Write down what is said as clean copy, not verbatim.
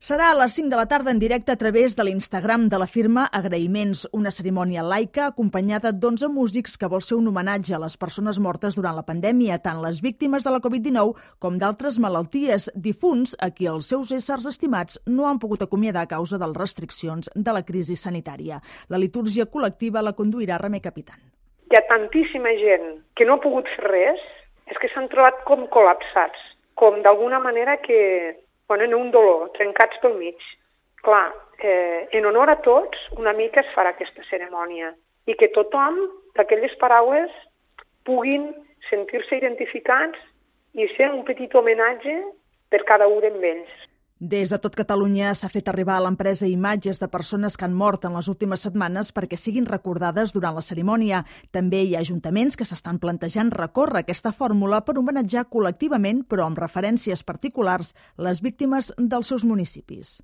Serà a les 5 de la tarda en directe a través de l'Instagram de la firma Agraïments, una cerimònia laica acompanyada d'11 músics que vol ser un homenatge a les persones mortes durant la pandèmia, tant les víctimes de la Covid-19 com d'altres malalties, difunts a qui els seus éssers estimats no han pogut acomiadar a causa de les restriccions de la crisi sanitària. La litúrgia col·lectiva la conduirà Remei Capitán. Hi ha tantíssima gent que no ha pogut fer res, és que s'han trobat com col·lapsats, com d'alguna manera que en un dolor, trencats pel mig. Clar, en honor a tots, una mica es farà aquesta cerimònia i que tothom, d'aquelles paraules, puguin sentir-se identificats i ser un petit homenatge per cada un d'ells. Des de tot Catalunya s'ha fet arribar a l'empresa imatges de persones que han mort en les últimes setmanes perquè siguin recordades durant la cerimònia. També hi ha ajuntaments que s'estan plantejant recórrer aquesta fórmula per homenatjar col·lectivament, però amb referències particulars, les víctimes dels seus municipis.